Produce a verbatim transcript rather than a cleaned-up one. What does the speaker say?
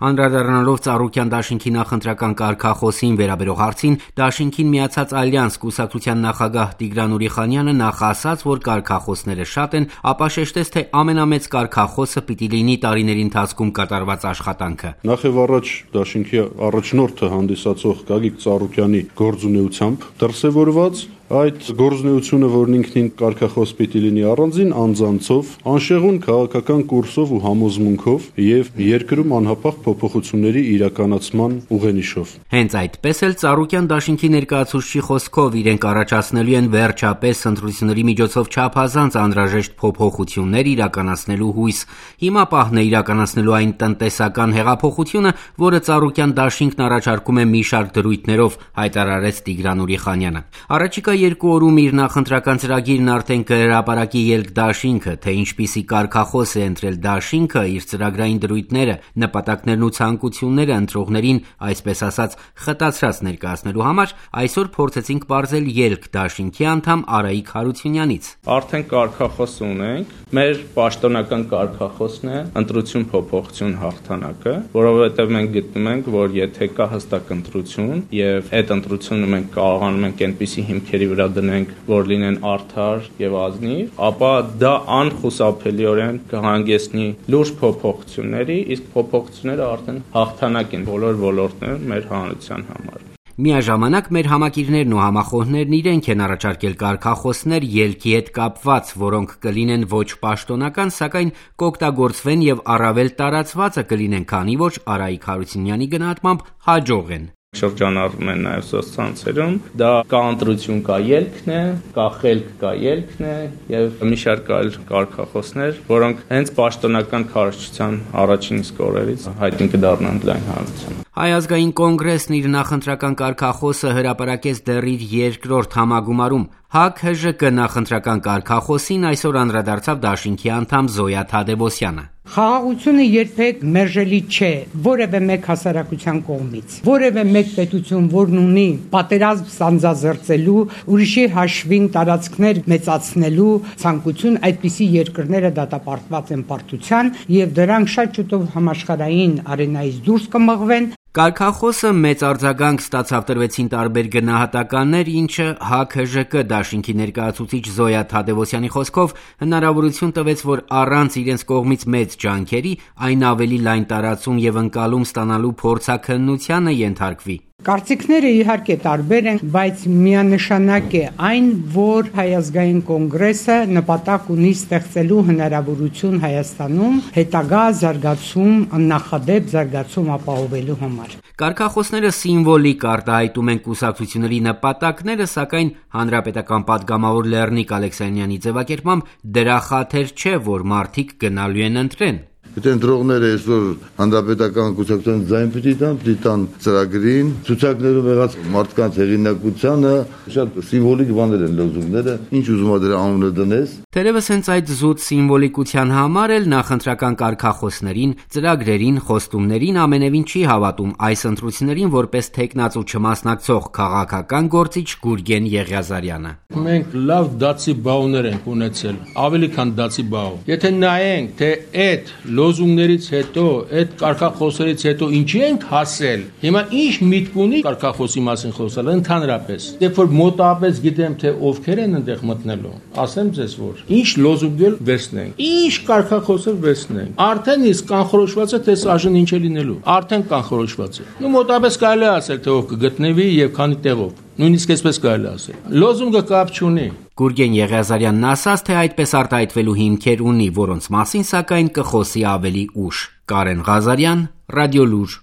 Անդրադառնալով Ծառուկյան դաշինքի նախընտրական կարգախոսին վերաբերող հարցին, դաշինքին միացած Ալյանս կուսակցության նախագահ Տիգրան Ուրիխանյանը նախ ասաց, որ կարգախոսները շատ են, ապա շեշտեց, թե ամենամեծ կարգախոսը պիտի լինի տարիների ընթացքում կատարված աշխատանքը։ Նախ եւ առաջ դաշինքի առաջնորդը հանդիսացող Գագիկ Ծառուկյանի գործունեությամբ դրսևորված այդ գործունեությունը, որն ինքնին կարգախոս պիտի լինի առանձին անձանցով, անշեղուն քաղաքական կուրսով ու համոզմունքով եւ երկրում անհապաղ փոփոխությունների իրականացման ուղենիշով։ Հենց այդպես էլ Ծառուկյան դաշինքի ներկայացուցչի խոսքով իրենք առաջացնելու են վերջապես ընտրությունների միջոցով չափազանց անհրաժեշտ փոփոխություններ իրականացնելու հույս։ Հիմա պահն է իրականացնելու այն տնտեսական հեղափոխությունը, որը Ծառուկյան դաշինքն առաջարկում է մի շարք դրույթներով, հայտարարեց Տիգրան Ուրիխանյանը։ Առաջիկա երկու օրում իր նախընտրական ծրագիրն արդեն կհրապարակի ելք դաշինքը, թե ինչպիսի կարգախոս է ընտրել դաշինքը իր ծրագրային դրույթները, նպատակներն ու ցանկությունները ընտրողներին, այսպես ասած, խտացրած ներկայացնելու համար, այսօր փորձեցինք բարձել ելք դաշինքի անդամ Արայիկ Հարությունյանից։ Արդեն կարգախոս ունենք, մեր պաշտոնական կարգախոսն է ընտրություն փոփոխություն հաղթանակը, որովհետև մենք գտնում ենք, որ եթե կա հստակ ընտրություն եւ այդ ընտրությունը մենք կարողանում ենք այնպիսի հիմքերի վրա դնենք, որ լինեն արդար եւ ազնիվ, ապա դա անխուսափելիորեն կհանգեցնի լուրջ փոփոխությունների, իսկ փոփոխությունները արդեն հաղթանակ են բոլոր ոլորտներում մեր հանրության համար։ Միաժամանակ մեր համակիրներն ու համախոհներն իրենք են առաջարկել կարգախոսներ ելքի հետ կապված, որոնք կլինեն ոչ պաշտոնական, սակայն կօգտագործվեն եւ առավել տարածվածը կլինեն, քանի որ Արայիկ Հարությունյանի գնահատմամբ հաջող են։ Շրջանառվում են նաև սոցցանցերում, դա կա ընտրություն, կա ելքն է, կա խելք, կա ելքն է եւ մի շարք այլ կարգախոսներ, որոնք հենց պաշտոնական քարոզչության առաջին իսկ օրերից հայտնի կդառնան լայն հանրությանը։ Հայ ազգային կոնգրեսն իր նախընտրական կարգախոսը հրապարակեց դեռ իր երկրորդ համագումարում։ ՀԱԿ-ՀԺԿ նախընտրական կարգախոսին այսօր անդրադարձավ դաշինքի անդամ Զոյա Թադևոսյանը։ Խաղաղությունը երբեք մերժելի չէ որևէ մեկ հասարակության կողմից։ Որևէ մեկ պետություն, որն ունի պատերազմ սանձազերծելու, ուրիշի հաշվին տարածքներ մեծացնելու ցանկություն, այդպիսի երկրները դատապարտված են պարտության եւ դրանք շատ շուտով համաշխարհային արենայից դուրս կմղվեն։ Կարգախոսը մեծ արձագանք ստացավ, տրվեցին տարբեր գնահատականներ, ինչը ՀԱԿ-ՀԺԿ դաշինքի ներկայացուցիչ Զոյա Թադևոսյանի խոսքով հնարավորություն տվեց, որ առանց իրենց կողմից մեծ ջանքերի այն ավելի լայն տարածում եւ ընկալում ստանալու փորձաքննությանը ենթարկվի։ Կարծիքները իհարկե տարբեր են, բայց միանշանակ է այն, որ Հայ ազգային կոնգրեսը նպատակ ունի ստեղծելու հնարավորություն Հայաստանում հետագա զարգացում, աննախադեպ զարգացում ապահովելու համար։ Կարգախոսները սիմվոլիկ արտահայտում են կուսակցությունների նպատակները, սակայն հանրապետական պատգամավոր Լեռնիկ Ալեքսանյանի ձևակերպմամբ դրա խաթեր չէ, որ մարդիկ գնալու են ընտրեն։ Եթե ընտրողները այսօր հանրապետական կուսակցության ձայն պիտի տան, պիտի տան ծրագրին, ցուցակներում եղած մարդկանց հեղինակությանը, շատ սիմվոլիկ բաներ են լոզունգները, ինչ ուզում ա դրա անունը դնես։ Թերևս հենց այդ զուտ սիմվոլիկության համար էլ նախընտրական կարգախոսներին, ծրագրերին, խոստումներին ամենևին չի հավատում այս ընտրություններին որպես թեկնածու չմասնակցող քաղաքական գործիչ Գուրգեն Եղիազարյանը։ Մենք լավ դացի բաուներ ենք ունեցել, ավելի քան դացի բաու։ Եթե նայենք, թե այդ լոզունգներից հետո, այդ կարգախոսներից հետո ինչի ենք հասել, հիմա ինչ միտք ունի կարգախոսի մասին խոսալ, ընդհանրապես։ Երբ որ մոտավորապես գիտեմ, թե ովքեր են այնտեղ մտնելու, ասեմ ձեզ, որ ինչ լոզունգել վերցնենք, ինչ կարգախոսեր վերցնենք։ Արդեն իսկ կանխորոշված է, թե սաժեն ինչ է լինելու։ Արդեն կանխորոշված է։ Ու մոտավորապես կարելի է ասել, թե ով կգտնվի եւ քանի տեղով։ Նույնիսկ այսպես կարելի է ասել։ Լոզունգը կապ չունի։ Գուրգեն Եղիազարյանն ասաց, թե այդպես արտահայտվելու հիմքեր ունի, որոնց մասին սակայն կխոսի ավելի ուշ։ Կարեն Ղազարյան, Ռադիոլուր։